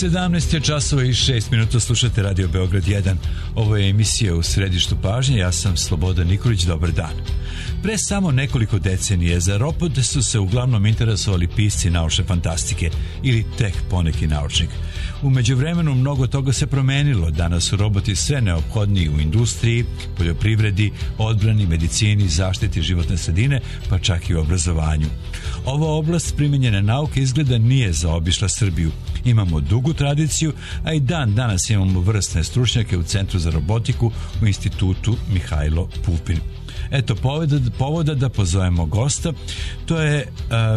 17 je časova i 6 minuta, slušate Radio Beograd 1. Ovo je emisija U središtu pažnje, ja sam Slobodan Nikolić, dobar dan. Pre samo nekoliko decenije za robote su se uglavnom interesovali pisci naučne fantastike ili tek poneki naučnik. U međuvremenu mnogo toga se promenilo, danas su roboti sve neophodniji u industriji, poljoprivredi, odbrani, medicini, zaštiti životne sredine, pa čak i u obrazovanju. Ova oblast primenjene nauke izgleda nije zaobišla Srbiju. Imamo dugu tradiciju, a i danas imamo vrsne stručnjake u Centru za robotiku u Institutu Mihajlo Pupin. Eto povoda da pozovemo gosta. To je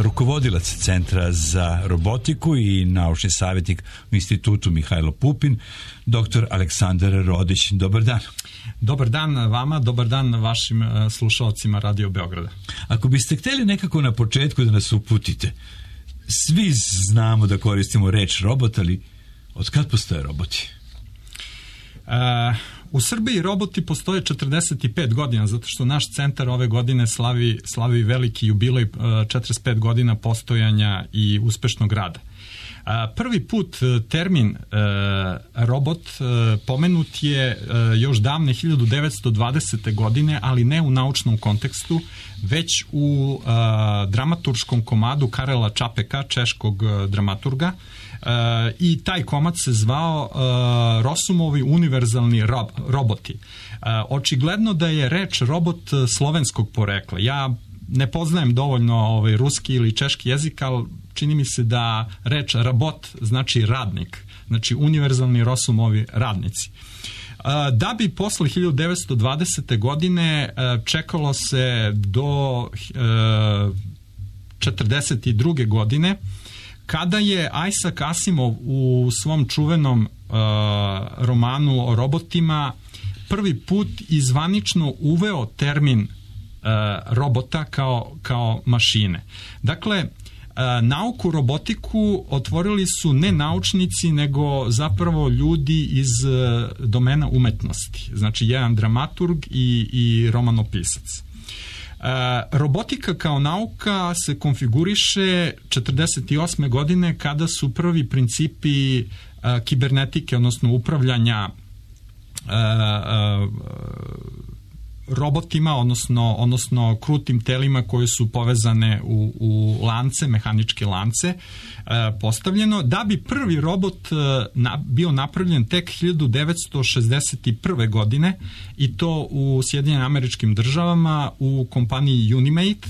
rukovodilac Centra za robotiku i naučni savjetnik u Institutu Mihajlo Pupin, dr. Aleksandar Rodić. Dobar dan. Dobar dan vama, dobar dan vašim slušalcima Radio Beograda. Ako biste htjeli nekako na početku da nas uputite, svi znamo da koristimo reč robot, ali od kad postoje roboti? U Srbiji roboti postoje 45 godina, zato što naš centar ove godine slavi veliki jubilej 45 godina postojanja i uspešnog rada. Prvi put termin robot pomenut je još davne 1920. godine, ali ne u naučnom kontekstu, već u dramaturškom komadu Karela Čapeka, češkog dramaturga, i taj komad se zvao Rosumovi univerzalni roboti. Očigledno da je reč robot slovenskog porekla. Ja ne poznajem dovoljno ruski ili češki jezik, ali čini mi se da reč robot znači radnik, znači univerzalni Rosumovi radnici. Da bi posle 1920. godine čekalo se do 42. godine, kada je Isaac Asimov u svom čuvenom romanu o robotima prvi put izvanično uveo termin robota kao mašine. Dakle, nauku robotiku otvorili su ne naučnici, nego zapravo ljudi iz domena umetnosti. Znači, jedan dramaturg i romanopisac. Robotika kao nauka se konfiguriše 48. godine kada su prvi principi kibernetike, odnosno upravljanja robotima, odnosno krutim telima koje su povezane u lance, mehaničke lance, postavljeno, da bi prvi robot bio napravljen tek 1961. godine i to u Sjedinjenim Američkim Državama u kompaniji Unimate,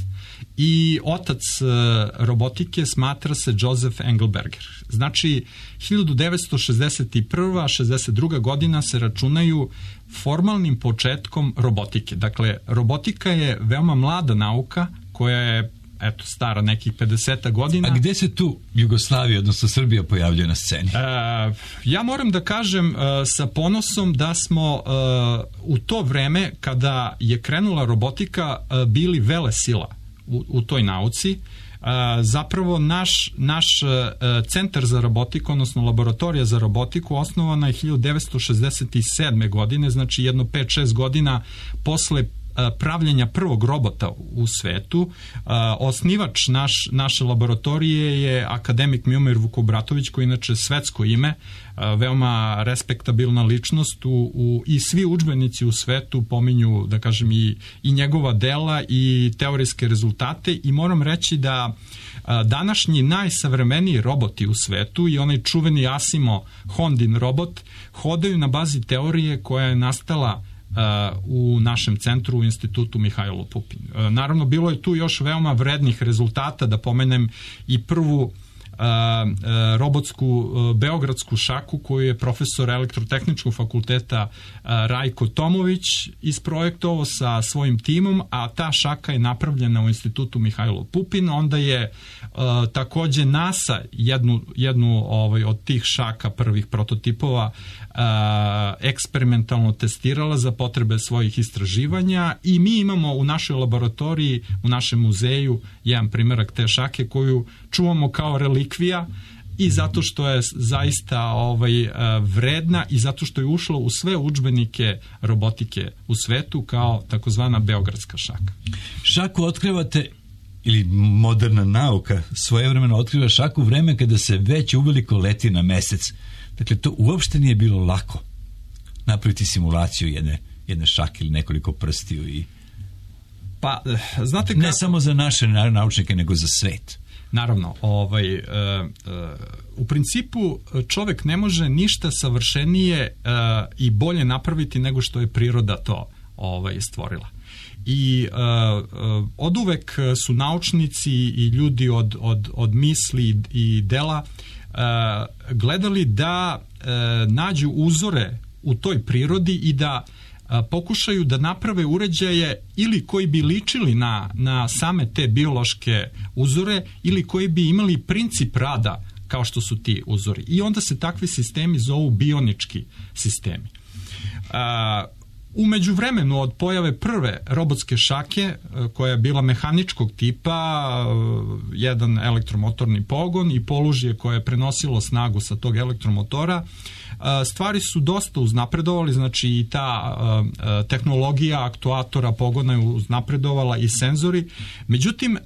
i otac robotike smatra se Joseph Engelberger. Znači, 1961. 62. godina se računaju formalnim početkom robotike. Dakle, robotika je veoma mlada nauka koja je stara nekih 50 godina. A gde se tu Jugoslavija, odnosno Srbija, pojavljuje na sceni? Ja moram da kažem sa ponosom da smo u to vreme kada je krenula robotika bili velesila u toj nauci. Zapravo naš centar za robotiku, odnosno laboratorija za robotiku, osnovana je 1967. godine, znači jedno 5-6 godina posle pravljenja prvog robota u svetu. Osnivač naše laboratorije je akademik Miomir Vukobratović, koji je inače svetsko ime, veoma respektabilna ličnost i svi udžbenici u svetu pominju, da kažem, i njegova dela i teorijske rezultate, i moram reći da današnji najsavremeniji roboti u svetu i onaj čuveni Asimov Hondin robot hodaju na bazi teorije koja je nastala u našem centru, u Institutu Mihajlo Pupin. Naravno, bilo je tu još veoma vrednih rezultata, da pomenem i prvu robotsku beogradsku šaku koju je profesor Elektrotehničkog fakulteta Rajko Tomović isprojektovao sa svojim timom, a ta šaka je napravljena u Institutu Mihajlo Pupin. Onda je takođe NASA jednu od tih šaka, prvih prototipova, eksperimentalno testirala za potrebe svojih istraživanja, i mi imamo u našoj laboratoriji, u našem muzeju, jedan primerak te šake koju čuvamo kao relikvija, i zato što je zaista vredna i zato što je ušla u sve udžbenike robotike u svetu kao takozvana beogradska šaka. Šaku otkrivate ili moderna nauka svojevremeno otkriva šaku vreme kada se već uveliko leti na mesec. Dakle, to uopšte nije bilo lako napraviti simulaciju jedne šake ili nekoliko prstiju i pa, znate kako... Ne samo za naše naučnike, nego za svet. Naravno, u principu čovek ne može ništa savršenije i bolje napraviti nego što je priroda to stvorila. I oduvek su naučnici i ljudi od misli i dela gledali da nađu uzore u toj prirodi i da pokušaju da naprave uređaje ili koji bi ličili na same te biološke uzore ili koji bi imali princip rada kao što su ti uzori. I onda se takvi sistemi zovu bionički sistemi. U međuvremenu od pojave prve robotske šake, koja je bila mehaničkog tipa, jedan elektromotorni pogon i polužje koje je prenosilo snagu sa tog elektromotora, stvari su dosta uznapredovali, znači i ta tehnologija aktuatora pogona je uznapredovala i senzori. Međutim,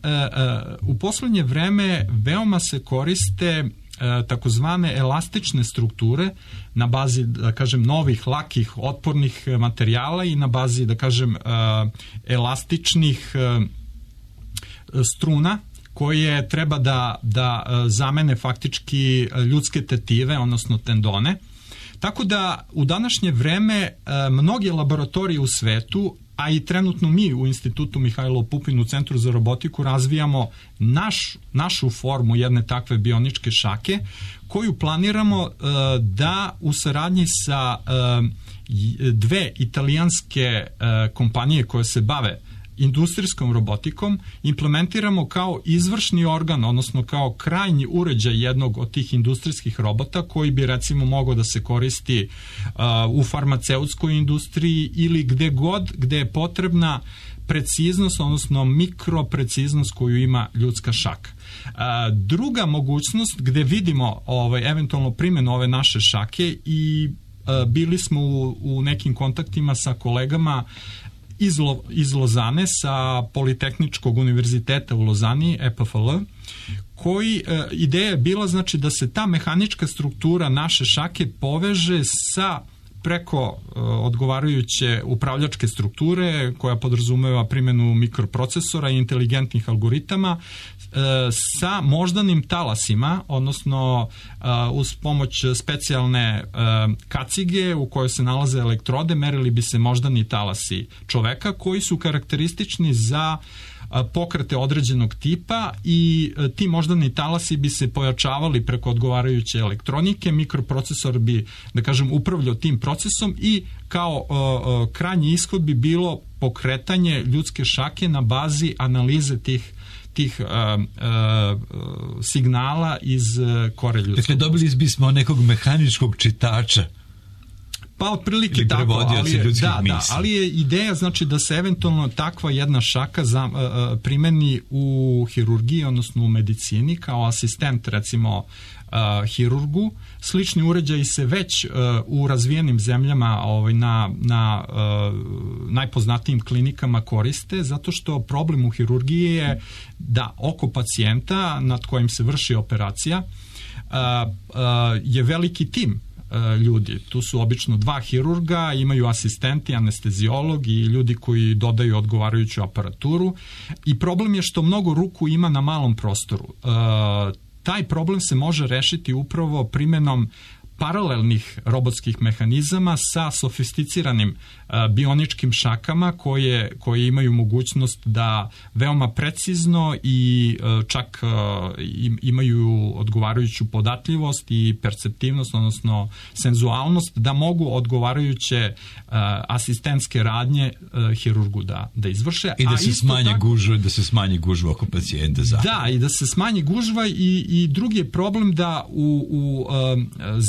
u poslednje vreme veoma se koriste takozvane elastične strukture na bazi, da kažem, novih, lakih, otpornih materijala i na bazi, da kažem, elastičnih struna koje treba da zamene faktički ljudske tetive, odnosno tendone. Tako da u današnje vreme mnoge laboratorije u svetu, a i trenutno mi u Institutu Mihajlo Pupin u Centru za robotiku razvijamo našu formu jedne takve bioničke šake koju planiramo da u saradnji sa dve italijanske kompanije koje se bave industrijskom robotikom implementiramo kao izvršni organ, odnosno kao krajnji uređaj jednog od tih industrijskih robota koji bi recimo mogao da se koristi u farmaceutskoj industriji ili gde god gde je potrebna preciznost, odnosno mikropreciznost koju ima ljudska šaka. Druga mogućnost gde vidimo eventualno primjenu ove naše šake i bili smo u nekim kontaktima sa kolegama iz Lozane, sa Politehničkog univerziteta u Lozani, EPFL, koji ideja je bila znači da se ta mehanička struktura naše šake poveže sa preko odgovarajuće upravljačke strukture koja podrazumeva primjenu mikroprocesora i inteligentnih algoritama sa moždanim talasima, odnosno uz pomoć specijalne kacige u kojoj se nalaze elektrode merili bi se moždani talasi čoveka koji su karakteristični za pokrete određenog tipa i ti moždani talasi bi se pojačavali preko odgovarajuće elektronike, mikroprocesor bi, da kažem, upravljao tim procesom i kao krajnji ishod bi bilo pokretanje ljudske šake na bazi analize tih signala iz kore ljudskog. Dakle, dobili bismo nekog mehaničkog čitača. Pa otprilike tako, ali je ideja znači da se eventualno takva jedna šaka primeni u hirurgiji, odnosno u medicini kao asistent recimo hirurgu. Slični uređaji se već u razvijenim zemljama na najpoznatijim klinikama koriste, zato što problem u hirurgiji je da oko pacijenta nad kojim se vrši operacija je veliki tim ljudi. Tu su obično dva hirurga, imaju asistenti, anesteziolog i ljudi koji dodaju odgovarajuću aparaturu i problem je što mnogo ruku ima na malom prostoru. Taj problem se može rešiti upravo primjenom paralelnih robotskih mehanizama sa sofisticiranim bioničkim šakama koje imaju mogućnost da veoma precizno i čak imaju odgovarajuću podatljivost i perceptivnost, odnosno senzualnost, da mogu odgovarajuće asistentske radnje hirurgu da izvrše. I da se smanji gužva oko pacijenta. Da, i da se smanji gužva i drugi je problem da u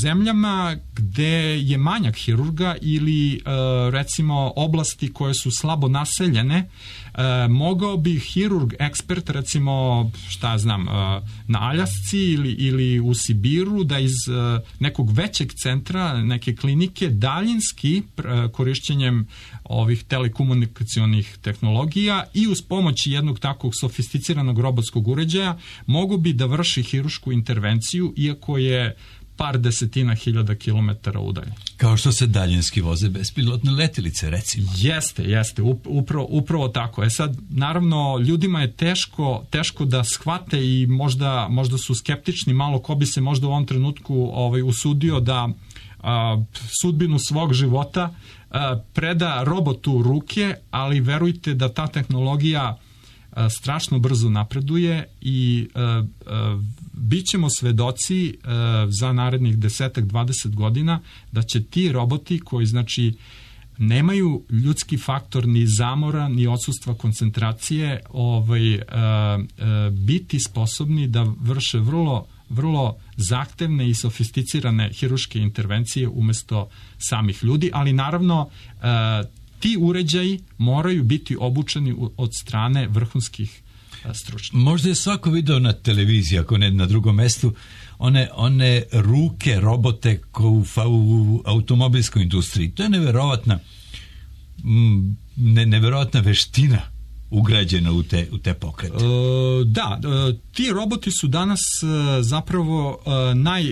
zemlji zemljama gde je manjak hirurga ili recimo oblasti koje su slabo naseljene, mogao bi hirurg ekspert, recimo šta znam, na Aljasci ili u Sibiru, da iz nekog većeg centra, neke klinike, daljinski korišćenjem ovih telekomunikacionih tehnologija i uz pomoć jednog takvog sofisticiranog robotskog uređaja mogu bi da vrši hirušku intervenciju, iako je par desetina hiljada kilometara udalje. Kao što se daljinski voze bespilotne letilice, recimo. Jeste, upravo tako. Sad, naravno, ljudima je teško da shvate i možda su skeptični malo ko bi se možda u ovom trenutku usudio da sudbinu svog života preda robotu u ruke, ali verujte da ta tehnologija strašno brzo napreduje i bit ćemo svedoci za narednih 10-20 godina da će ti roboti koji znači nemaju ljudski faktor ni zamora ni odsustva koncentracije biti sposobni da vrše vrlo zahtevne i sofisticirane hiruške intervencije umesto samih ljudi, ali naravno ti uređaji moraju biti obučeni od strane vrhunskih stručnjaka. Možda je svako video na televiziji, ako ne na drugom mestu, one ruke, robote u automobilskoj industriji. To je neverovatna veština ugrađena u te pokrete. Ti roboti su danas zapravo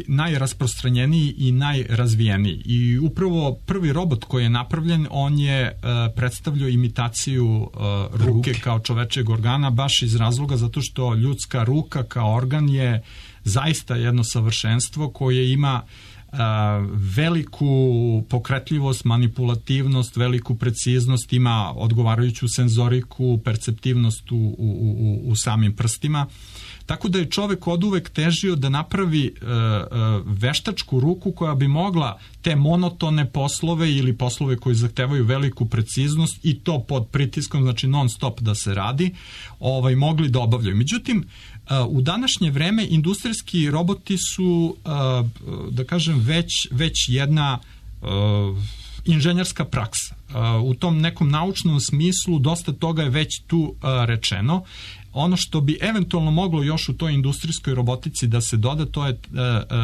najrasprostranjeniji i najrazvijeniji. I upravo prvi robot koji je napravljen, on je predstavljao imitaciju ruke kao čovečeg organa, baš iz razloga zato što ljudska ruka kao organ je zaista jedno savršenstvo koje ima veliku pokretljivost, manipulativnost, veliku preciznost, ima odgovarajuću senzoriku, perceptivnost u samim prstima. Tako da je čovek oduvek težio da napravi veštačku ruku koja bi mogla te monotone poslove ili poslove koji zahtevaju veliku preciznost i to pod pritiskom, znači non stop da se radi, mogli da obavljaju. Međutim, u današnje vreme industrijski roboti su, da kažem, već jedna inženjerska praksa. U tom nekom naučnom smislu dosta toga je već tu rečeno. Ono što bi eventualno moglo još u toj industrijskoj robotici da se doda, to je,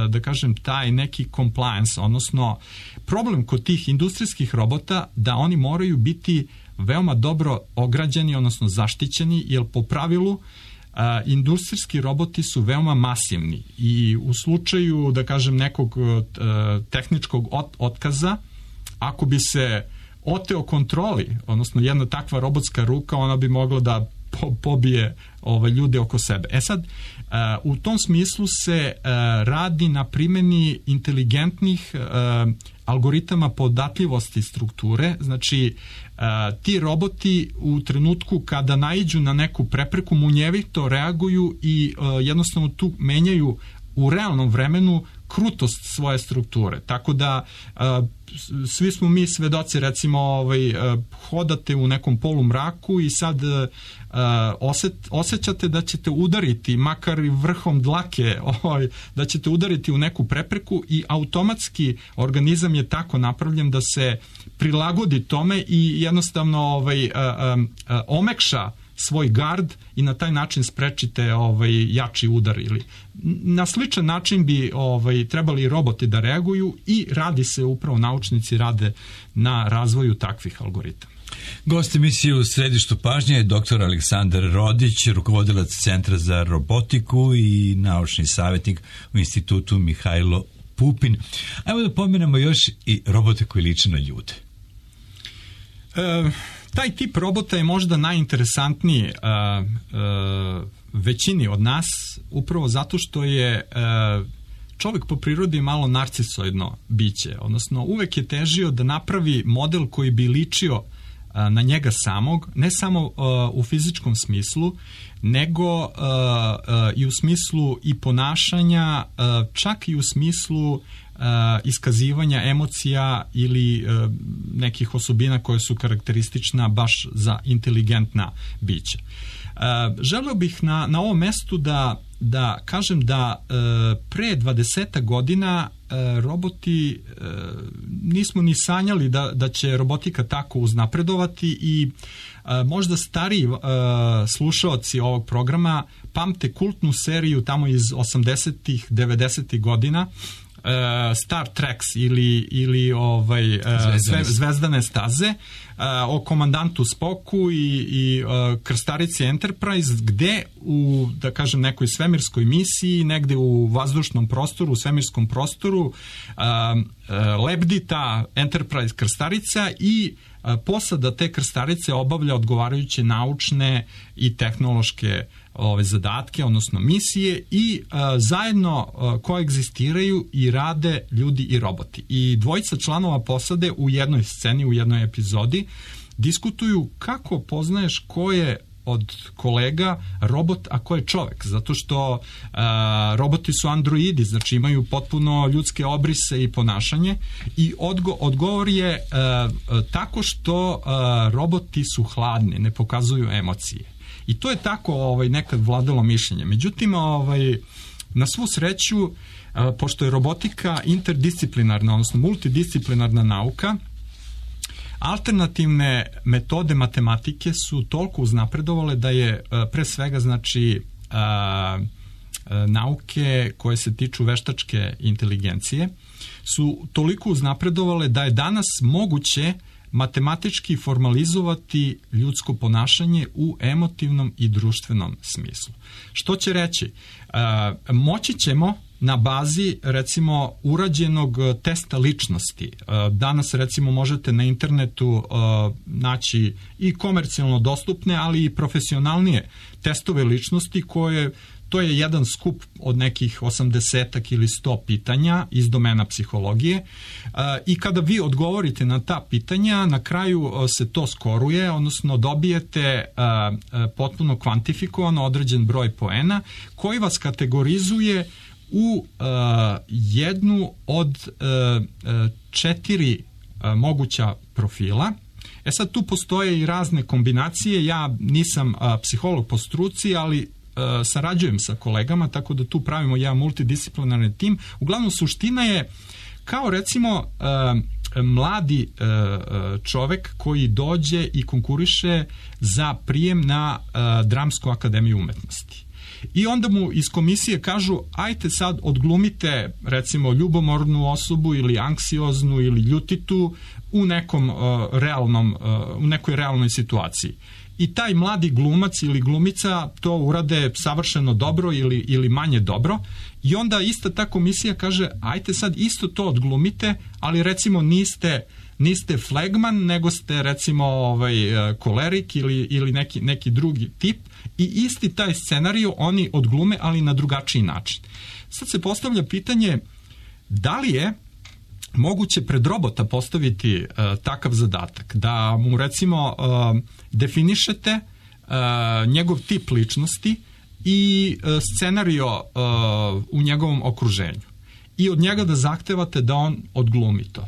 da kažem, taj neki compliance, odnosno problem kod tih industrijskih robota da oni moraju biti veoma dobro ograđeni, odnosno zaštićeni, jer po pravilu industrijski roboti su veoma masivni i u slučaju, da kažem, nekog tehničkog otkaza, ako bi se oteo kontroli, odnosno jedna takva robotska ruka, ona bi mogla da pobije ljude oko sebe. Sad, u tom smislu se radi na primjeni inteligentnih algoritama podatljivosti strukture, znači ti roboti u trenutku kada naiđu na neku prepreku munjevito reaguju i jednostavno tu menjaju u realnom vremenu krutost svoje strukture. Tako da svi smo mi svedoci, recimo hodate u nekom polumraku i sad osjećate da ćete udariti, makar i vrhom dlake, da ćete udariti u neku prepreku i automatski organizam je tako napravljen da se prilagodi tome i jednostavno omekša svoj gard i na taj način sprečite jači udar. Ili na sličan način bi trebali roboti da reaguju i radi se, upravo naučnici rade na razvoju takvih algoritama. Gost emisije u središtu pažnje je dr. Aleksandar Rodić, rukovodilac Centra za robotiku i naučni savjetnik u Institutu Mihajlo Pupin. Ajmo da pomenemo još i robote koji liče na ljude. Taj tip robota je možda najinteresantniji većini od nas, upravo zato što je čovjek po prirodi malo narcisoidno biće, odnosno uvek je težio da napravi model koji bi ličio na njega samog, ne samo u fizičkom smislu, nego i u smislu i ponašanja, čak i u smislu iskazivanja emocija ili nekih osobina koje su karakteristična baš za inteligentna bića. Želeo bih na ovom mestu da kažem da pre 20 godina roboti, nismo ni sanjali da će robotika tako uznapredovati i možda stariji slušaoci ovog programa pamte kultnu seriju tamo iz 80-ih, 90-ih godina, Star Treks ili Zvezdane staze, o komandantu Spocku i krstarici Enterprise, gde u, da kažem, nekoj svemirskoj misiji, negde u vazdušnom prostoru, u svemirskom prostoru, lebdi ta Enterprise krstarica i posada te krstarice obavlja odgovarajuće naučne i tehnološke zadatke, odnosno misije, i zajedno koegzistiraju i rade ljudi i roboti. I dvojica članova posade u jednoj sceni, u jednoj epizodi diskutuju kako poznaješ ko je od kolega robot, a ko je čovek, zato što roboti su androidi, znači imaju potpuno ljudske obrise i ponašanje, i odgovor je tako što roboti su hladni, ne pokazuju emocije. I to je tako nekad vladalo mišljenje. Međutim, na svu sreću, pošto je robotika interdisciplinarna, odnosno multidisciplinarna nauka, alternativne metode matematike su toliko uznapredovale da je pre svega, znači, nauke koje se tiču veštačke inteligencije su toliko uznapredovale da je danas moguće matematički formalizovati ljudsko ponašanje u emotivnom i društvenom smislu. Što će reći? Moći ćemo na bazi, recimo, urađenog testa ličnosti. Danas, recimo, možete na internetu naći i komercijalno dostupne, ali i profesionalnije testove ličnosti koje, to je jedan skup od nekih 80 ili 100 pitanja iz domena psihologije, i kada vi odgovorite na ta pitanja, na kraju se to skoruje, odnosno dobijete potpuno kvantifikovano određen broj poena koji vas kategorizuje u jednu od 4 moguća profila. Sad tu postoje i razne kombinacije, ja nisam psiholog po struci, ali sarađujem sa kolegama, tako da tu pravimo jedan multidisciplinarni tim. Uglavnom, suština je kao, recimo, mladi čovek koji dođe i konkuriše za prijem na Dramsku akademiju umetnosti. I onda mu iz komisije kažu, ajte sad odglumite, recimo, ljubomornu osobu ili anksioznu ili ljutitu u nekom u nekoj realnoj situaciji. I taj mladi glumac ili glumica to urade savršeno dobro ili manje dobro, i onda ista ta komisija kaže, ajte sad isto to odglumite, ali recimo niste flegman, nego ste, recimo, kolerik ili neki drugi tip, i isti taj scenario oni odglume, ali na drugačiji način. Sad se postavlja pitanje, da li je moguće pred robota postaviti takav zadatak, da mu, recimo, definišete njegov tip ličnosti i scenario u njegovom okruženju i od njega da zahtevate da on odglumi to.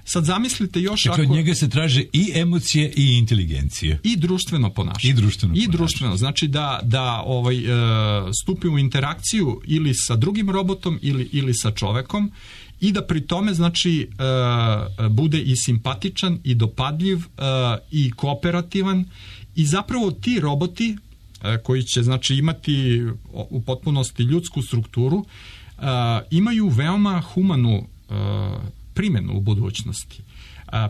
Sad zamislite još, dakle, od njega se traže i emocije i inteligencije. I društveno ponašanje. I društveno. Znači da stupi u interakciju ili sa drugim robotom ili sa čovekom, i da pri tome, znači, bude i simpatičan i dopadljiv i kooperativan, i zapravo ti roboti koji će, znači, imati u potpunosti ljudsku strukturu, imaju veoma humanu primjenu u budućnosti.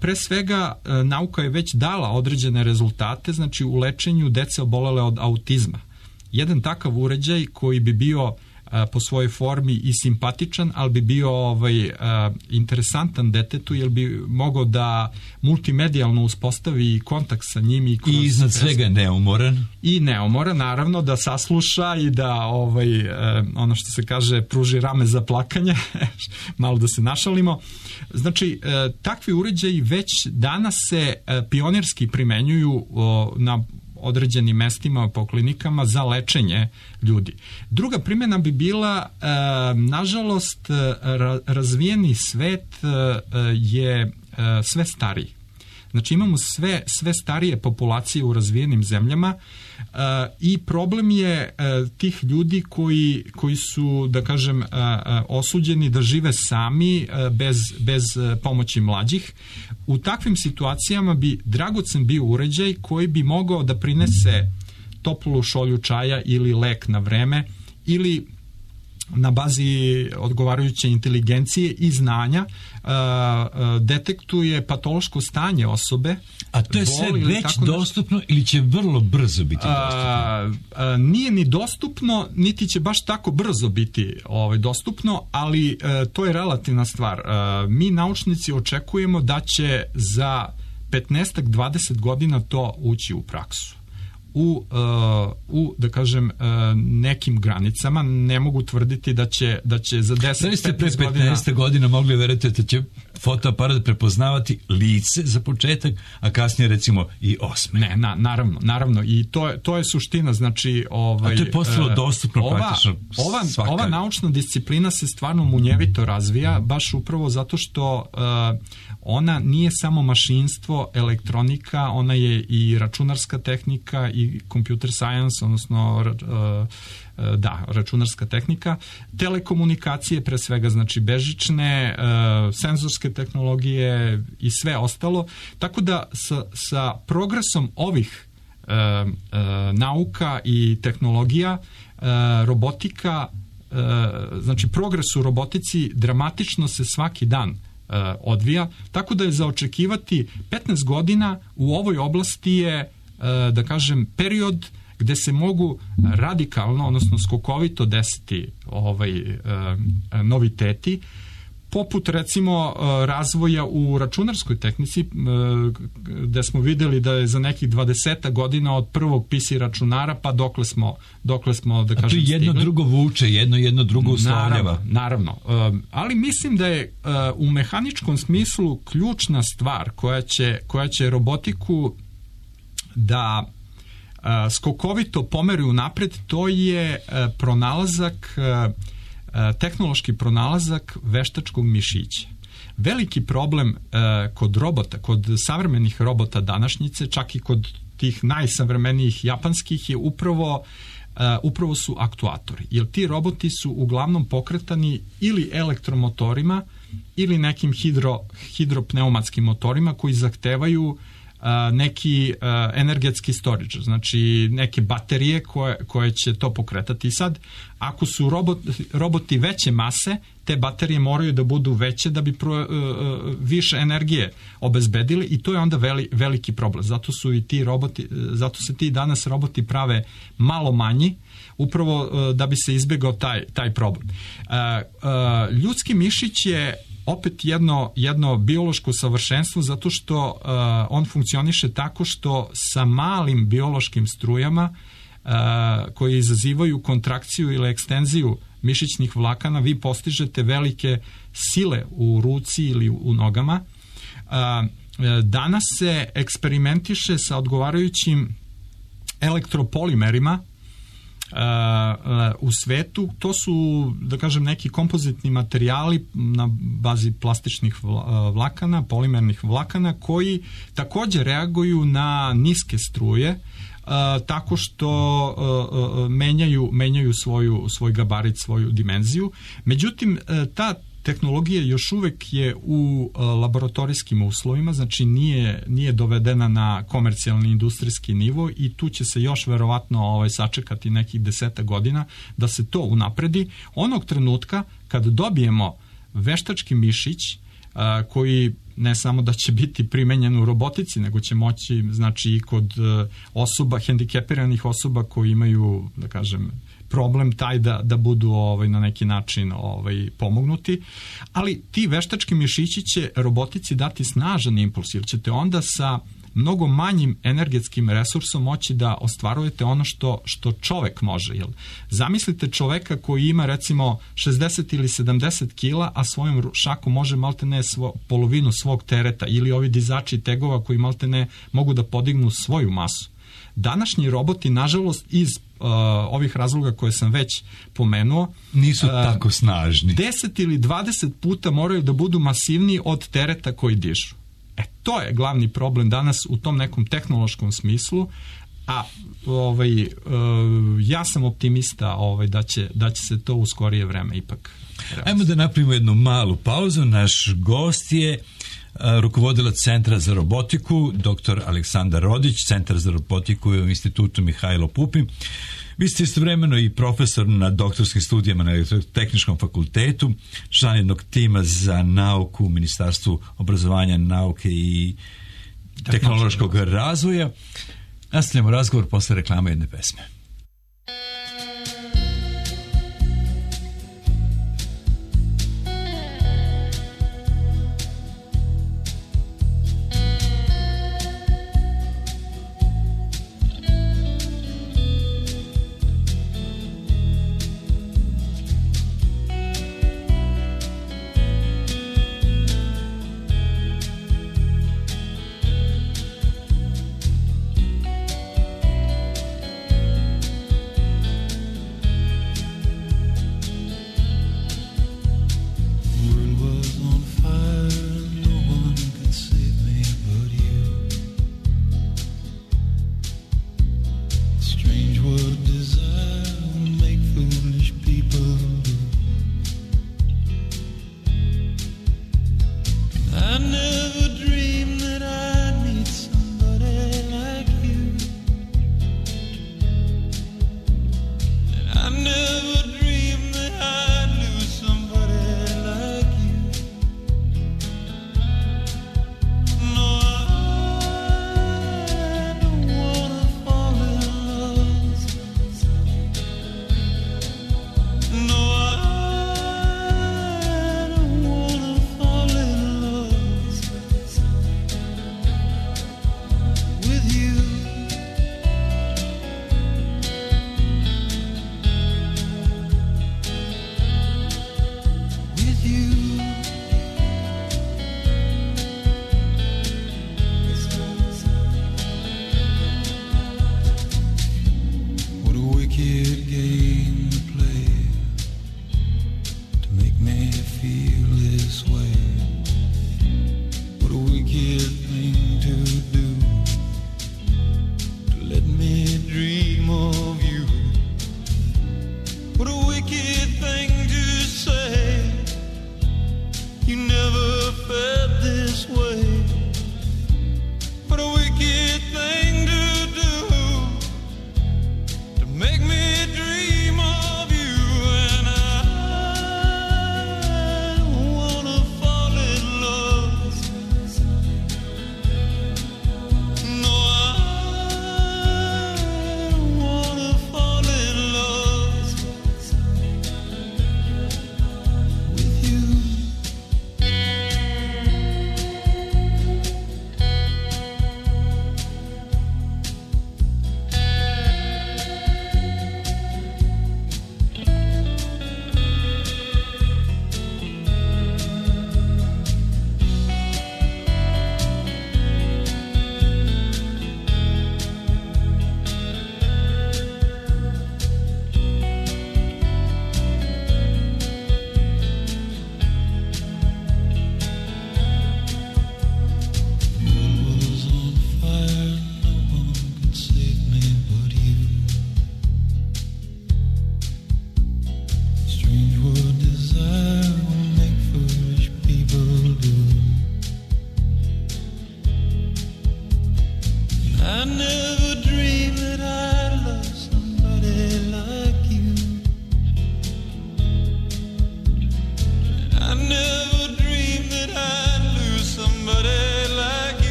Pre svega, nauka je već dala određene rezultate, znači, u lečenju dece obolele od autizma. Jedan takav uređaj koji bi bio po svojoj formi i simpatičan, ali bi bio interesantan detetu, jer bi mogao da multimedijalno uspostavi kontakt sa njim i iznad svega neumoran. I neumoran, naravno, da sasluša i da ono što se kaže, pruži rame za plakanje, malo da se našalimo. Znači, takvi uređaji već danas se pionirski primenjuju na određenim mestima po klinikama za lečenje ljudi. Druga primjena bi bila, nažalost, razvijeni svet je sve stariji. Znači imamo sve starije populacije u razvijenim zemljama i problem je tih ljudi koji su, da kažem, osuđeni da žive sami bez pomoći mlađih. U takvim situacijama bi dragocen bio uređaj koji bi mogao da prinese toplu šolju čaja ili lek na vreme ili na bazi odgovarajuće inteligencije i znanja detektuje patološko stanje osobe. A to je sve već dostupno ili će vrlo brzo biti dostupno? Nije ni dostupno, niti će baš tako brzo biti dostupno, ali to je relativna stvar. Mi naučnici očekujemo da će za 15-20 godina to ući u praksu. U da kažem, nekim granicama. Ne mogu tvrditi da će za 10-15 godina... Da ste pre 15 godina mogli verujete da će fotoaparat prepoznavati lice za početak, a kasnije recimo i osme? Ne, naravno. I to je suština. Znači, a to je postalo dostupno praktično svakako. Ova naučna disciplina se stvarno munjevito razvija, baš upravo zato što ona nije samo mašinstvo, elektronika, ona je i računarska tehnika i computer science, odnosno računarska tehnika, telekomunikacije pre svega, znači bežične, senzorske tehnologije i sve ostalo. Tako da sa progresom ovih nauka i tehnologija, robotika, znači progres u robotici dramatično se svaki dan odvija, tako da je za očekivati 15 godina u ovoj oblasti je, da kažem, period gde se mogu radikalno, odnosno skokovito desiti noviteti, poput recimo razvoja u računarskoj tehnici, gde smo videli da je za nekih 20 godina od prvog PC računara pa dokle smo da kažem stigli. A to jedno drugo vuče, jedno drugo uslovljava. Naravno. Ali mislim da je u mehaničkom smislu ključna stvar koja će robotiku da skokovito pomeri unapred, to je tehnološki pronalazak veštačkog mišića. Veliki problem kod robota, kod savremenih robota današnjice, čak i kod tih najsavremenijih japanskih, je upravo su aktuatori. Jer ti roboti su uglavnom pokretani ili elektromotorima ili nekim hidropneumatskim motorima koji zahtevaju neki energetski storage, znači neke baterije koje će to pokretati. I sad, ako su roboti veće mase, te baterije moraju da budu veće da bi više energije obezbedili i to je onda veliki problem. Zato se ti danas roboti prave malo manji, upravo da bi se izbegao taj problem. Ljudski mišić je opet jedno biološko savršenstvo zato što on funkcioniše tako što sa malim biološkim strujama koje izazivaju kontrakciju ili ekstenziju mišićnih vlakana vi postižete velike sile u ruci ili u nogama. Danas se eksperimentiše sa odgovarajućim elektropolimerima u svetu. To su, da kažem, neki kompozitni materijali na bazi plastičnih vlakana, polimernih vlakana, koji također reaguju na niske struje tako što menjaju svoj gabarit, svoju dimenziju. Međutim, ta tehnologija još uvek je u laboratorijskim uslovima, znači nije dovedena na komercijalni industrijski nivo i tu će se još verovatno sačekati nekih 10 godina da se to unapredi. Onog trenutka kad dobijemo veštački mišić koji ne samo da će biti primenjen u robotici, nego će moći, znači, i kod osoba, hendikepiranih osoba koji imaju, da kažem, problem taj da budu na neki način pomognuti, ali ti veštački mišići će robotici dati snažan impuls, jer ćete onda sa mnogo manjim energetskim resursom moći da ostvarujete ono što čovek može. Zamislite čoveka koji ima recimo 60 ili 70 kila, a svojom šakom može maltene polovinu svog tereta, ili ovi dizači tegova koji maltene mogu da podignu svoju masu. Današnji roboti, nažalost, iz ovih razloga koje sam već pomenuo, nisu tako snažni. 10 ili 20 puta moraju da budu masivniji od tereta koji dižu. To je glavni problem danas u tom nekom tehnološkom smislu, a ja sam optimista da će se to u skorije vreme ipak realizati. Ajmo da napravimo jednu malu pauzu. Naš gost je rukovodilac Centra za robotiku, dr. Aleksandar Rodić. Centar za robotiku je u Institutu Mihajlo Pupin. Vi ste istovremeno i profesor na doktorskim studijama na Tehničkom fakultetu, član jednog tima za nauku u Ministarstvu obrazovanja, nauke i tehnološkog razvoja. Nastavljamo razgovor posle reklame jedne pesme.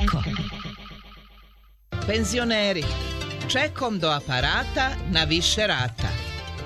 Eko. Penzioneri, čekom do aparata na više rata.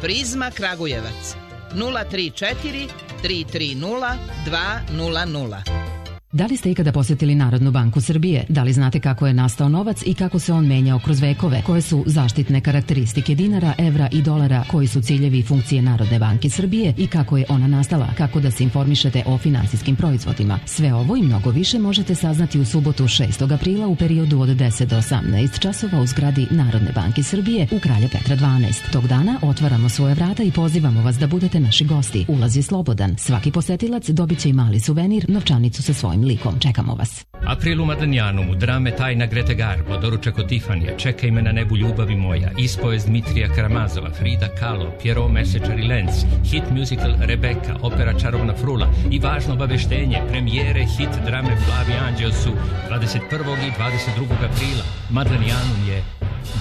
Prizma Kragujevac 034 330 200. Da li ste ikada posjetili Narodnu banku Srbije? Da li znate kako je nastao novac i kako se on menjao kroz vekove? Koje su zaštitne karakteristike dinara, evra i dolara? Koji su ciljevi i funkcije Narodne banke Srbije i kako je ona nastala? Kako da se informišete o finansijskim proizvodima? Sve ovo i mnogo više možete saznati u subotu 6. aprila u periodu od 10 do 18 časova u zgradi Narodne banke Srbije u Kralja Petra 12. Tog dana otvaramo svoje vrata i pozivamo vas da budete naši gosti. Ulaz je slobodan. Svaki posetilac dobit će i mali suvenir, novčanicu sa svojim likom. Čekamo vas. April u Madanjanu, drame Tajna Grete Garbo, doručak od Tifanija, Čekaj me na nebu ljubavi moja, ispovest Dmitrija Karamazova, Frida Kahlo, Pierrot Mesečar i Lenz, hit musical Rebeka, opera Čarovna frula i važno obaveštenje, premijere hit drame Plavi anđeo su 21. i 22. aprila. Madanjanum je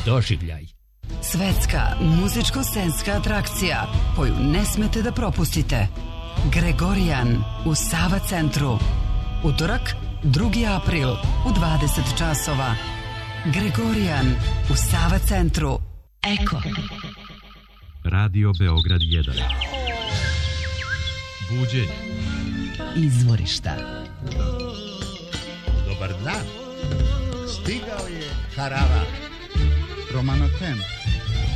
doživljaj. Svetska muzičko-scenska atrakcija koju ne smete da propustite. Gregorijan u Sava centru. Utorak, 2. april u 20 časova. Gregorijan u Sava centru. Eko. Radio Beograd 1. Buđenje. Izvorišta. Dobar dan. Stigao je Harava. Romano Tem.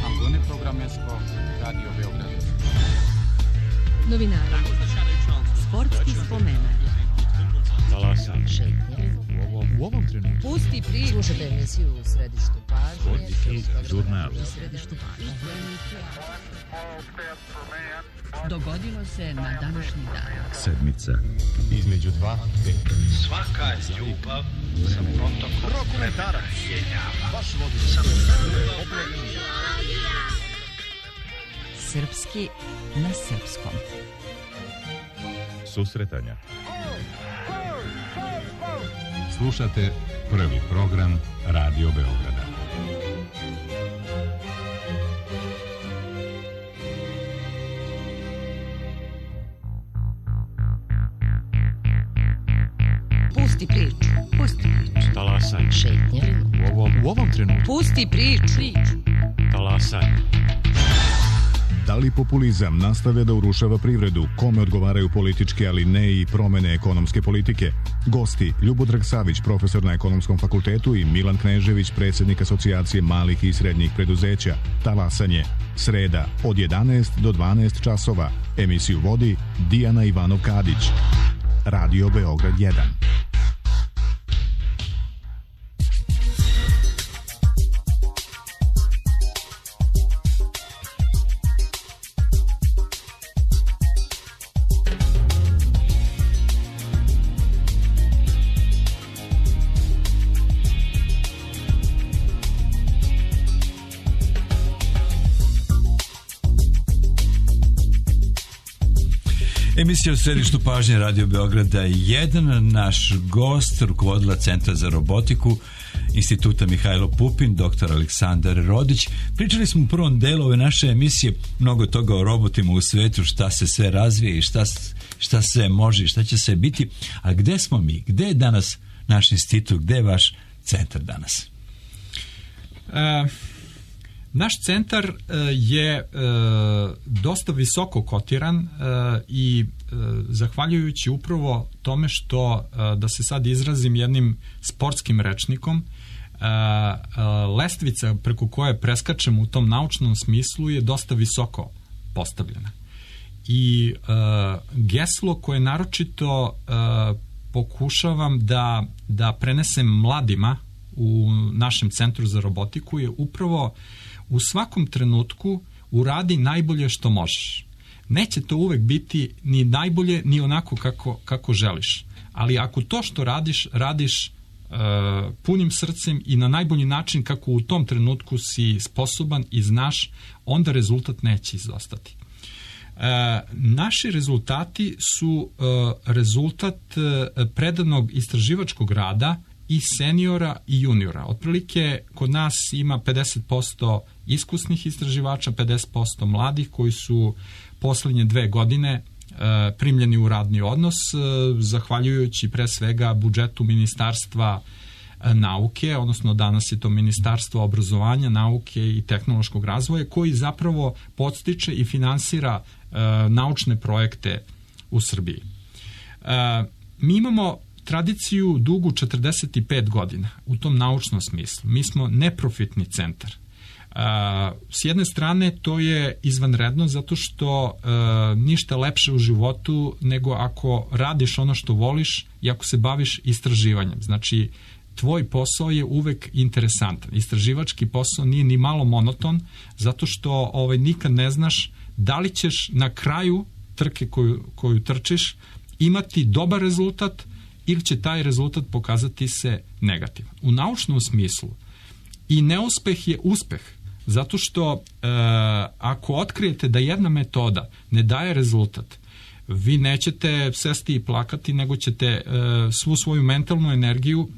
Ambone Programesko. Radio Beograd. Novinari. Sportski spomenar. Talasan. Šetnje. U ovom trenutku. Pusti priču. Slušajte emisiju u Središtu pažnje. Žurnal. U Središtu pažnje. Dogodilo se na današnji dan. Sedmica. Između dva veka. Svaka ljubav sa protokom Rokometarac. Baš vodi. Srpski na srpskom. Susretanja. Slušate prvi program Radio Beograda. Pusti priču. Pusti priču. Talasan. Šetnje. U ovom trenutku. Pusti priču. Talasan. Da li populizam nastavlja da urušava privredu? Kome odgovaraju političke, ali ne i promene ekonomske politike? Gosti: Ljubodrag Savić, profesor na Ekonomskom fakultetu, i Milan Knežević, predsjednik Asocijacije malih i srednjih preduzeća. Talasanje. Sreda od 11 do 12 časova. Emisiju vodi Dijana Ivanov-Kadić. Radio Beograd 1. Emisija u središtu pažnje Radio Beograda 1. Naš gost, rukovodila Centra za robotiku Instituta Mihajlo Pupin, dr. Aleksandar Rodić. Pričali smo u prvom delu ove naše emisije mnogo toga o robotima u svetu, šta se sve razvije i šta se može i šta će se biti. A gde smo mi? Gde je danas naš institut? Gde je vaš centar danas? Naš centar je dosta visoko kotiran i zahvaljujući upravo tome što, da se sad izrazim jednim sportskim rečnikom, lestvica preko koje preskačemo u tom naučnom smislu je dosta visoko postavljena. I geslo koje naročito pokušavam da prenesem mladima u našem Centru za robotiku je upravo u svakom trenutku uradi najbolje što možeš. Neće to uvek biti ni najbolje, ni onako kako želiš. Ali ako to što radiš punim srcem i na najbolji način kako u tom trenutku si sposoban i znaš, onda rezultat neće izostati. Naši rezultati su rezultat predanog istraživačkog rada i seniora i juniora. Otprilike kod nas ima 50% iskusnih istraživača, 50% mladih koji su poslednje 2 godine primljeni u radni odnos, zahvaljujući pre svega budžetu Ministarstva nauke, odnosno danas je to Ministarstvo obrazovanja, nauke i tehnološkog razvoja, koji zapravo podstiče i finansira naučne projekte u Srbiji. Mi imamo tradiciju dugu 45 godina u tom naučnom smislu. Mi smo neprofitni centar. S jedne strane to je izvanredno zato što ništa lepše u životu nego ako radiš ono što voliš i ako se baviš istraživanjem. Znači, tvoj posao je uvek interesantan. Istraživački posao nije ni malo monoton zato što nikad ne znaš da li ćeš na kraju trke koju trčiš imati dobar rezultat ili će taj rezultat pokazati se negativan. U naučnom smislu i neuspeh je uspeh, zato što ako otkrijete da jedna metoda ne daje rezultat, vi nećete sesti i plakati, nego ćete svu svoju mentalnu energiju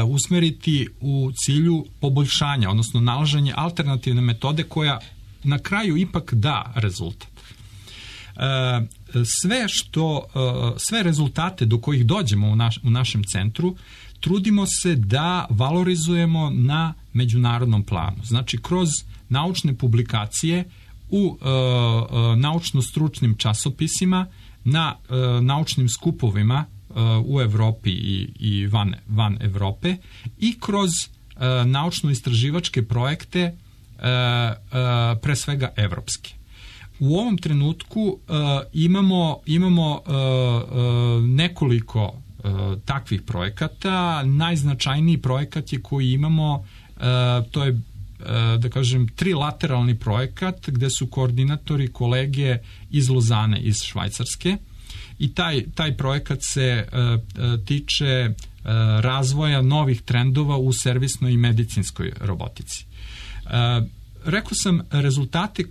usmeriti u cilju poboljšanja, odnosno nalaženje alternativne metode koja na kraju ipak da rezultat. Sve rezultate do kojih dođemo u našem centru trudimo se da valorizujemo na međunarodnom planu. Znači, kroz naučne publikacije u naučno-stručnim časopisima, na naučnim skupovima u Evropi i van Evrope i kroz naučno-istraživačke projekte, pre svega evropske. U ovom trenutku imamo nekoliko takvih projekata. Najznačajniji projekat je koji imamo, to je, da kažem, trilateralni projekat gde su koordinatori kolege iz Lozane, iz Švajcarske, i taj projekat se tiče razvoja novih trendova u servisnoj i medicinskoj robotici. Rekao sam, rezultate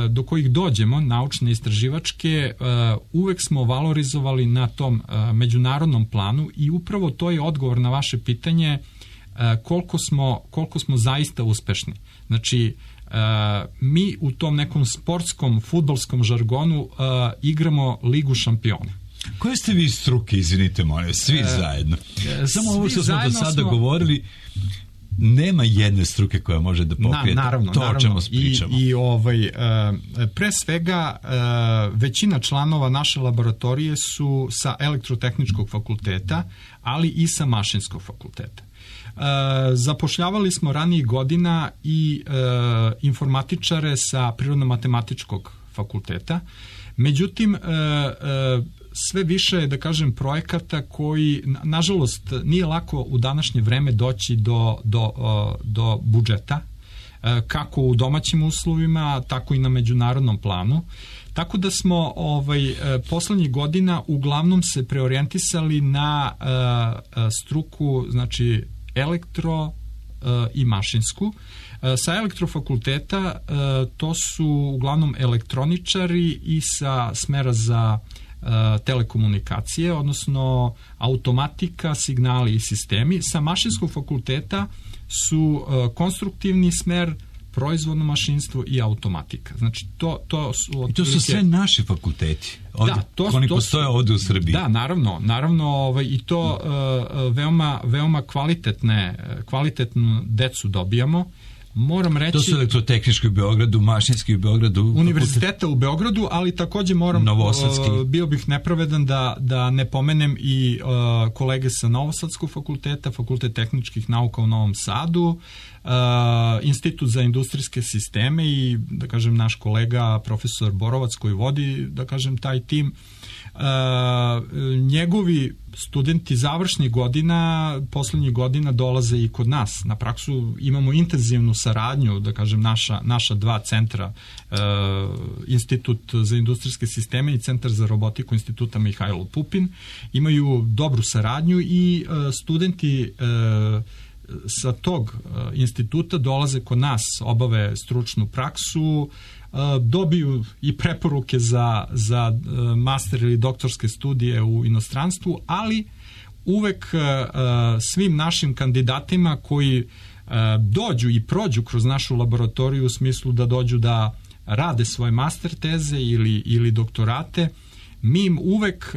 do kojih dođemo, naučne, istraživačke, uvek smo valorizovali na tom međunarodnom planu i upravo to je odgovor na vaše pitanje koliko smo zaista uspešni. Znači, mi u tom nekom sportskom, fudbalskom žargonu igramo Ligu šampiona. Koje ste vi struke, izvinite, molim, svi zajedno? Samo ovo što smo do sada govorili, nema jedne struke koja može da pokrije to o čemu pričamo. Pre svega, većina članova naše laboratorije su sa elektrotehničkog fakulteta, ali i sa mašinskog fakulteta. Zapošljavali smo ranijih godina i informatičare sa prirodno-matematičkog fakulteta. Međutim, sve više, da kažem, projekata koji, nažalost, nije lako u današnje vreme doći do budžeta, kako u domaćim uslovima, tako i na međunarodnom planu. Tako da smo poslednjih godina uglavnom se preorijentisali na struku, znači elektro i mašinsku. Sa elektrofakulteta to su uglavnom elektroničari i sa smera za telekomunikacije, odnosno automatika, signali i sistemi. Sa mašinskog fakulteta su konstruktivni smer, proizvodno mašinstvo i automatika. Znači, to su... I to su sve naši fakulteti. Oni postoje ovde u Srbiji. Da, naravno, i to veoma kvalitetnu decu dobijamo. Moram reći... To su elektrotehnički u Beogradu, mašinski u Beogradu... Univerziteta u Beogradu, ali takođe bio bih nepravedan da ne pomenem i kolege sa Novosadskog fakulteta, Fakultet tehničkih nauka u Novom Sadu, Institut za industrijske sisteme i, da kažem, naš kolega profesor Borovac koji vodi, da kažem, taj tim. Njegovi studenti završnih godina, poslednjih godina dolaze i kod nas. Na praksu imamo intenzivnu saradnju, da kažem, naša dva centra, Institut za industrijske sisteme i Centar za robotiku Instituta Mihajlo Pupin, imaju dobru saradnju i studenti sa tog instituta dolaze kod nas, obave stručnu praksu, dobiju i preporuke za master ili doktorske studije u inostranstvu, ali uvek svim našim kandidatima koji dođu i prođu kroz našu laboratoriju u smislu da dođu da rade svoje master teze ili doktorate, mi im uvek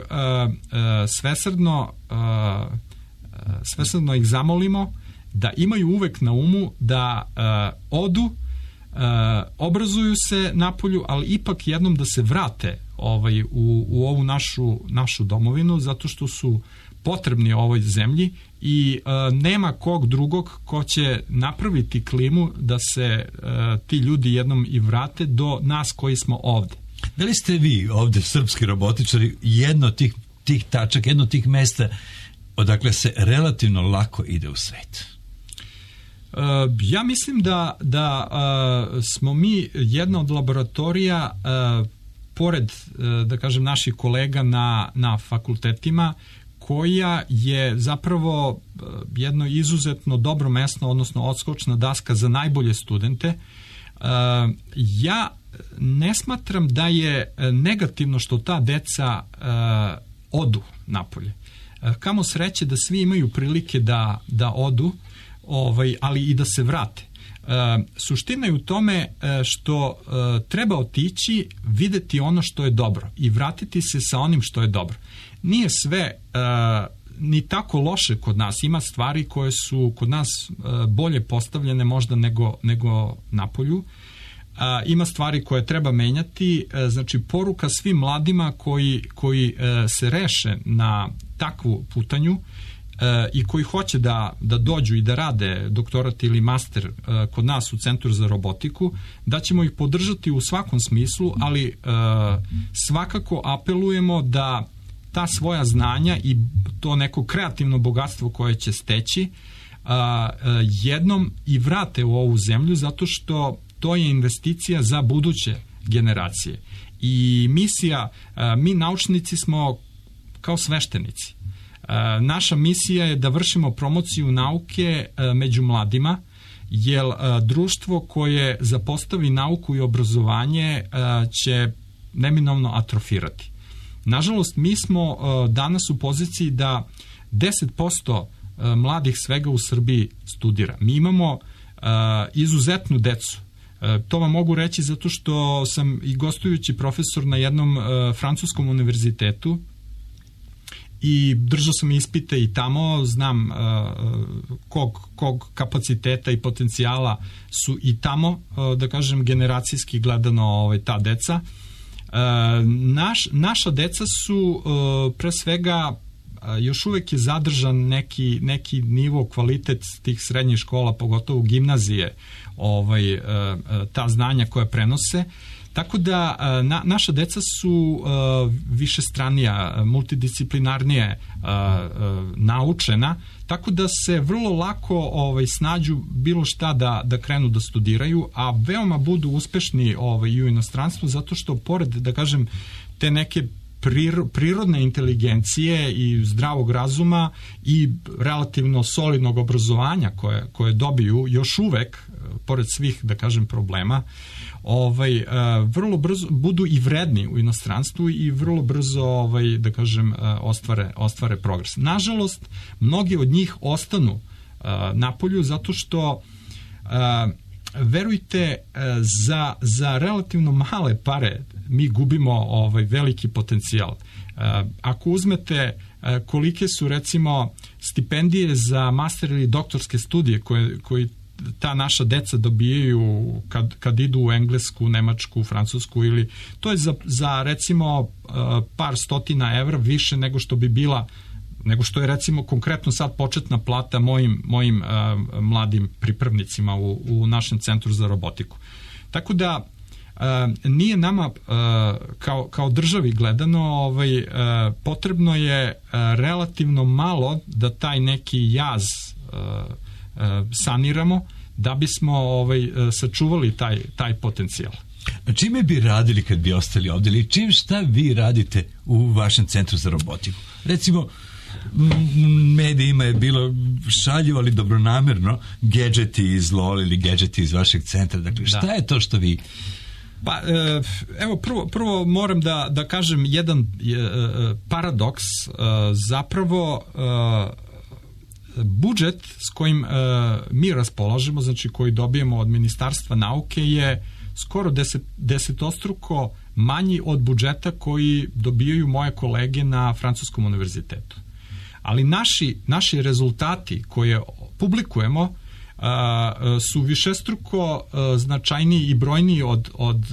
svesrdno svesrdno ih zamolimo da imaju uvek na umu da odu, obrazuju se napolju, ali ipak jednom da se vrate u ovu našu domovinu, zato što su potrebni ovoj zemlji i nema kog drugog ko će napraviti klimu da se ti ljudi jednom i vrate do nas koji smo ovde. Da li ste vi ovde, srpski robotičari, jedno od tih tačaka, jedno od tih mesta odakle se relativno lako ide u svet? Ja mislim da smo mi jedna od laboratorija, pored, da kažem, naših kolega na fakultetima, koja je zapravo jedno izuzetno dobro mesto, odnosno odskočna daska za najbolje studente. Ja ne smatram da je negativno što ta deca odu napolje. Kamo sreće da svi imaju prilike da odu, ali i da se vrate. Suština je u tome što treba otići, videti ono što je dobro i vratiti se sa onim što je dobro. Nije sve ni tako loše kod nas. Ima stvari koje su kod nas bolje postavljene možda nego napolju. Ima stvari koje treba menjati. Znači, poruka svim mladima koji se reše na takvu putanju i koji hoće da dođu i da rade doktorat ili master kod nas u Centru za robotiku, da ćemo ih podržati u svakom smislu, ali svakako apelujemo da ta svoja znanja i to neko kreativno bogatstvo koje će steći jednom i vrate u ovu zemlju, zato što to je investicija za buduće generacije. I misija, mi naučnici smo kao sveštenici. Naša misija je da vršimo promociju nauke među mladima, jer društvo koje zapostavi nauku i obrazovanje će neminovno atrofirati. Nažalost, mi smo danas u poziciji da 10% mladih svega u Srbiji studira. Mi imamo izuzetnu decu. To vam mogu reći zato što sam i gostujući profesor na jednom francuskom univerzitetu i držao sam ispite i tamo, znam kog kapaciteta i potencijala su i tamo, da kažem, generacijski gledano ta deca. Naša deca su pre svega, još uvek je zadržan neki nivo, kvalitet tih srednjih škola, pogotovo gimnazije, ta znanja koja prenose. Tako da naša deca su višestranija, multidisciplinarnije naučena, tako da se vrlo lako snađu bilo šta da krenu da studiraju, a veoma budu uspešni i u inostranstvu, zato što pored, da kažem, te neke prirodne inteligencije i zdravog razuma i relativno solidnog obrazovanja koje dobiju još uvek, pored svih, da kažem, problema, vrlo brzo budu i vredni u inostranstvu i vrlo brzo, da kažem, ostvare progres. Nažalost, mnogi od njih ostanu napolju zato što verujte, za relativno male pare mi gubimo veliki potencijal. Ako uzmete kolike su, recimo, stipendije za master ili doktorske studije koji ta naša deca dobijaju kad idu u Englesku, Nemačku, Francusku, ili to je za recimo par stotina evra više nego što je, recimo, konkretno sad početna plata mojim mladim pripravnicima u našem Centru za robotiku. Tako da nije nama kao državi gledano, potrebno je relativno malo da taj neki jaz saniramo da bismo sačuvali taj potencijal. Čime bi radili kad bi ostali ovdje, ili šta vi radite u vašem Centru za robotiku? Recimo, medijima je bilo šaljivo, ali dobronamerno, gadgeti iz LOL ili gadgeti iz vašeg centra. Dakle, šta je to što vi... Pa, evo, prvo moram da kažem jedan paradoks. Zapravo, budžet s kojim mi raspolažemo, znači koji dobijemo od Ministarstva nauke, je skoro desetostruko manji od budžeta koji dobijaju moje kolege na Francuskom univerzitetu. ali naši rezultati koje publikujemo su višestruko značajniji i brojniji od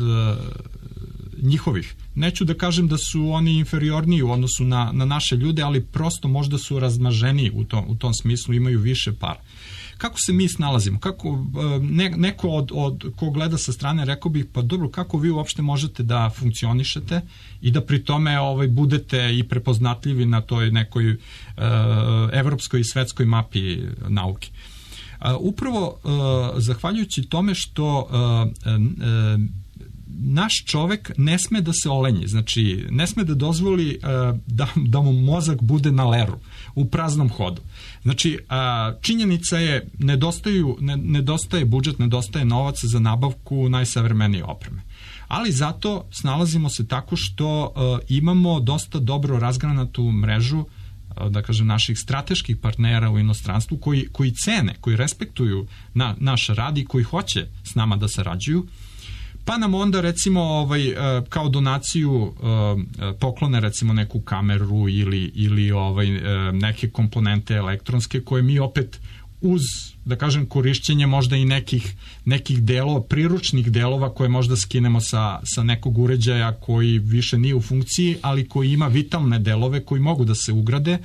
njihovih. Neću da kažem da su oni inferiorniji u odnosu na naše ljude, ali prosto možda su razmaženiji u tom smislu, imaju više para. Kako se mi snalazimo? Kako neko od ko gleda sa strane rekao bih, pa dobro, kako vi uopšte možete da funkcionišete i da pri tome budete i prepoznatljivi na toj nekoj evropskoj i svetskoj mapi nauke? Upravo zahvaljujući tome što naš čovek ne sme da se olenji, znači ne sme da dozvoli da mu mozak bude na leru, u praznom hodu. Znači, činjenica je, nedostaje budžet, nedostaje novac za nabavku najsavremenije opreme. Ali zato snalazimo se tako što imamo dosta dobro razgranatu mrežu, da kažem, naših strateških partnera u inostranstvu koji cene, koji respektuju naš rad i koji hoće s nama da sarađuju. Pa nam onda recimo kao donaciju poklone recimo neku kameru ili neke komponente elektronske koje mi opet uz, da kažem, korišćenje možda i nekih delova, priručnih delova koje možda skinemo sa nekog uređaja koji više nije u funkciji, ali koji ima vitalne delove koji mogu da se ugrade.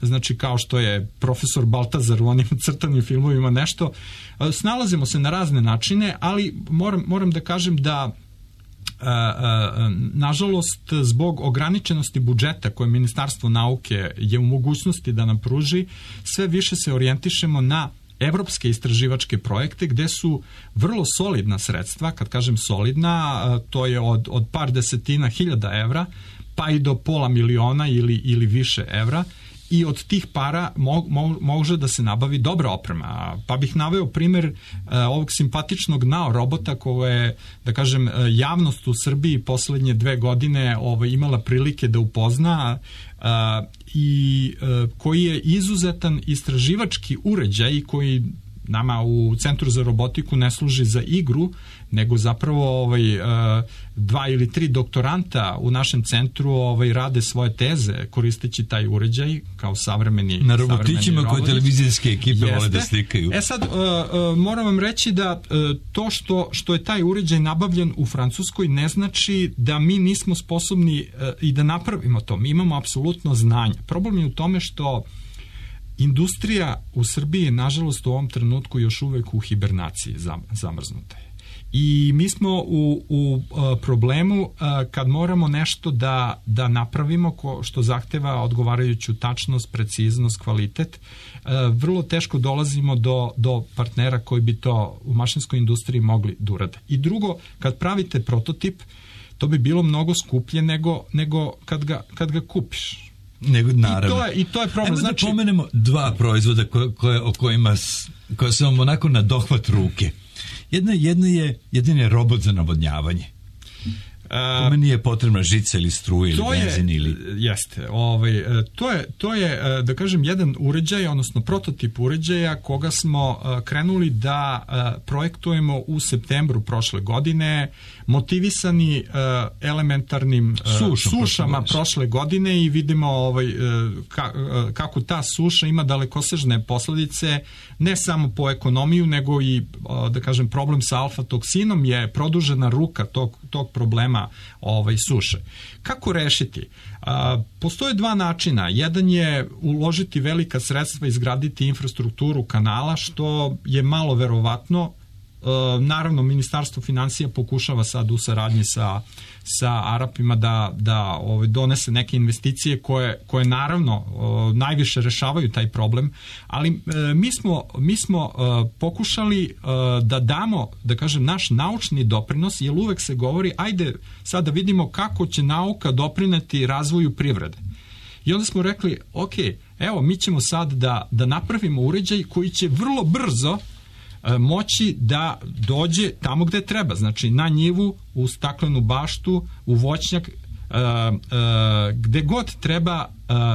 Znači kao što je profesor Baltazar u onim crtanim filmovima nešto, snalazimo se na razne načine, ali moram da kažem da nažalost zbog ograničenosti budžeta koje Ministarstvo nauke je u mogućnosti da nam pruži, sve više se orijentišemo na evropske istraživačke projekte gde su vrlo solidna sredstva. Kad kažem solidna, to je od par desetina hiljada evra pa i do $500,000 ili više evra, i od tih para može da se nabavi dobra oprema. Pa bih naveo primer ovog simpatičnog NAO robota koje, da kažem, javnost u Srbiji poslednje 2 godine imala prilike da upozna i koji je izuzetan istraživački uređaj koji nama u Centru za robotiku ne služi za igru, nego zapravo 2 ili 3 doktoranta u našem centru rade svoje teze koristeći taj uređaj kao savremeni na robotićima koje televizijske ekipe vole da slikaju. Sad moram vam reći da to što je taj uređaj nabavljen u Francuskoj ne znači da mi nismo sposobni i da napravimo to. Mi imamo apsolutno znanje. Problem je u tome što industrija u Srbiji je, nažalost, u ovom trenutku još uvek u hibernaciji zamrznuta. I mi smo u problemu kad moramo nešto da napravimo što zahteva odgovarajuću tačnost, preciznost, kvalitet. Vrlo teško dolazimo do partnera koji bi to u mašinskoj industriji mogli da urade. I drugo, kad pravite prototip, to bi bilo mnogo skuplje nego kad ga kupiš. Naravno. I to je problem. Ajmo da pomenemo 2 proizvoda koje su vam onako na dohvat ruke. Jedan je robot za navodnjavanje. Po meni je potrebna žica ili struja ili benzin ili... Jeste. To je, da kažem, jedan uređaj, odnosno prototip uređaja koga smo krenuli da projektujemo u septembru prošle godine, motivisani elementarnim sušama prošle godine, i vidimo kako ta suša ima dalekosežne posledice ne samo po ekonomiju, nego i, da kažem, problem sa alfa-toksinom je produžena ruka tog problema suše. Kako rešiti? Postoje 2 načina. Jedan je uložiti velika sredstva, izgraditi infrastrukturu kanala, što je malo verovatno. Naravno, Ministarstvo finansija pokušava sad u saradnji sa Arapima da donese neke investicije koje naravno najviše rešavaju taj problem, ali mi smo pokušali da damo, da kažem, naš naučni doprinos, jer uvek se govori, ajde sad da vidimo kako će nauka doprineti razvoju privrede. I onda smo rekli, ok, evo, mi ćemo sad da napravimo uređaj koji će vrlo brzo moći da dođe tamo gde treba, znači na njivu, u staklenu baštu, u voćnjak, gde god treba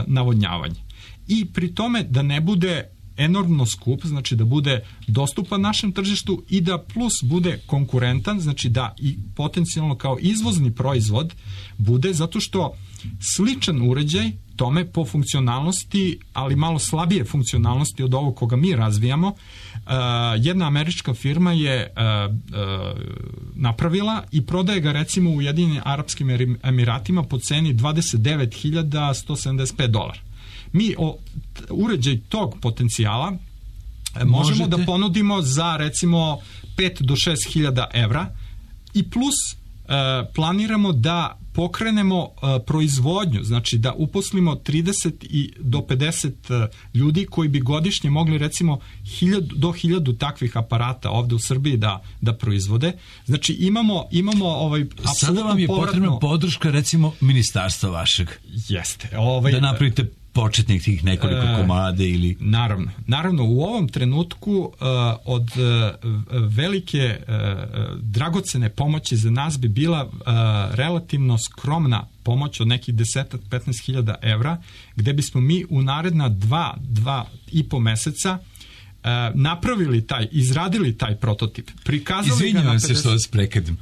navodnjavanje. I pri tome da ne bude enormno skup, znači da bude dostupan našem tržištu i da plus bude konkurentan, znači da i potencijalno kao izvozni proizvod bude, zato što sličan uređaj tome po funkcionalnosti, ali malo slabije funkcionalnosti od ovog koga mi razvijamo, jedna američka firma je napravila i prodaje ga recimo u Ujedinjenim Arapskim Emiratima po ceni $29.175. Mi uređaj tog potencijala možemo da ponudimo za recimo 5 do 6 hiljada evra i plus planiramo da pokrenemo proizvodnju, znači da uposlimo 30 do 50 ljudi koji bi godišnje mogli recimo 1000 do 1000 takvih aparata ovde u Srbiji da proizvode. Znači imamo sada vam je potrebna podrška recimo ministarstva vašeg. Jeste. Da napravite početnik tih nekoliko komade ili... Naravno, u ovom trenutku od velike dragocene pomoći za nas bi bila relativno skromna pomoć od nekih 10-15 hiljada evra, gde bismo mi u naredna 2,5 meseca izradili taj prototip, prikazali ga na 50... Izvinjavam se što vas prekredim.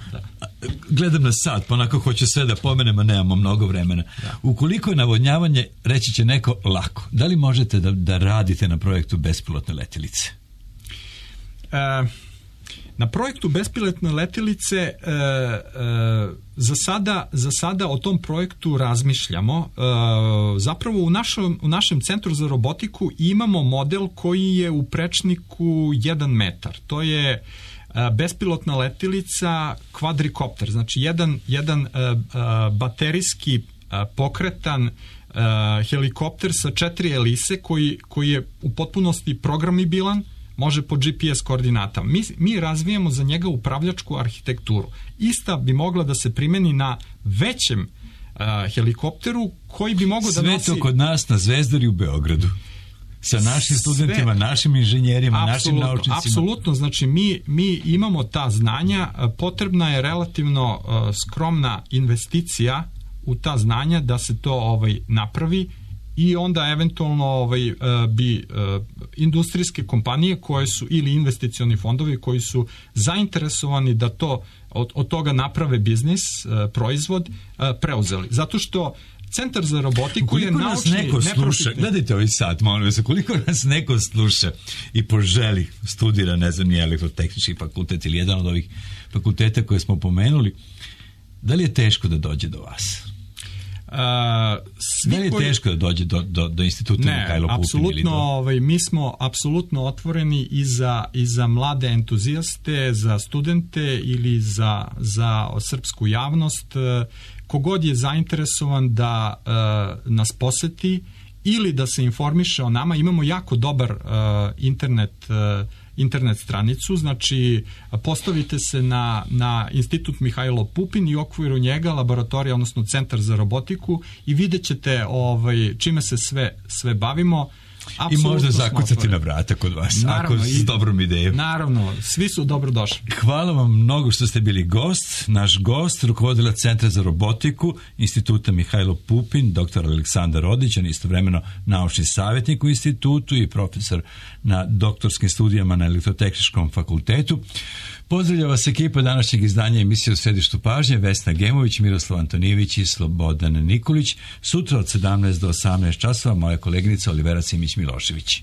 Gledam na sat, pa onako hoću sve da pomenem, a nemamo mnogo vremena. Ukoliko je navodnjavanje, reći će neko, lako. Da li možete da radite na projektu bespilotne letjelice? Na projektu bespilotne letjelice za sada o tom projektu razmišljamo. Zapravo u našem centru za robotiku imamo model koji je u prečniku 1 metar. To je bespilotna letjelica kvadrikopter, znači jedan baterijski pokretan helikopter sa 4 elise koji je u potpunosti programibilan, može po GPS koordinatama. Mi razvijamo za njega upravljačku arhitekturu. Ista bi mogla da se primeni na većem helikopteru koji bi mogao da nosi... Sve to kod nas na Zvezdari u Beogradu. Sa našim studentima, našim inženjerima, našim naučnicima. Apsolutno, znači mi imamo ta znanja, potrebna je relativno skromna investicija u ta znanja da se to napravi i onda eventualno bi industrijske kompanije koje su ili investicioni fondovi koji su zainteresovani da to od toga naprave biznis, proizvod, preuzeli. Zato što Centar za robotiku je naučni... Gledajte ovaj sat, molim vas, koliko nas neko sluša i poželi, studira, ne znam, nije elektrotehnički fakultet ili jedan od ovih fakulteta koje smo pomenuli, da li je teško da dođe do vas? Da li je teško da dođe do instituta Mihajlo Pupin? Apsolutno, mi smo apsolutno otvoreni i za mlade entuzijaste, za studente ili za srpsku javnost. Kogod je zainteresovan da nas poseti ili da se informiše o nama, imamo jako dobar internet stranicu, znači postavite se na Institut Mihajlo Pupin i u okviru njega laboratorija, odnosno Centar za robotiku i vidjet ćete čime se sve bavimo. I možda zakucati na vrata kod vas, ako s dobrom idejom. Naravno, svi su dobrodošli. Hvala vam mnogo što ste bili gost. Naš gost, rukovodilac Centra za robotiku Instituta Mihajlo Pupin, dr. Aleksandar Rodić, on je istovremeno naučni savjetnik u institutu i profesor na doktorskim studijama na Elektrotehničkom fakultetu. Pozdravlja vas ekipa današnjeg izdanja emisije U središtu pažnje, Vesna Gemović, Miroslav Antonijević i Slobodan Nikolić. Sutra od 17 do 18 časova moja koleginica Olivera Simić Milošević.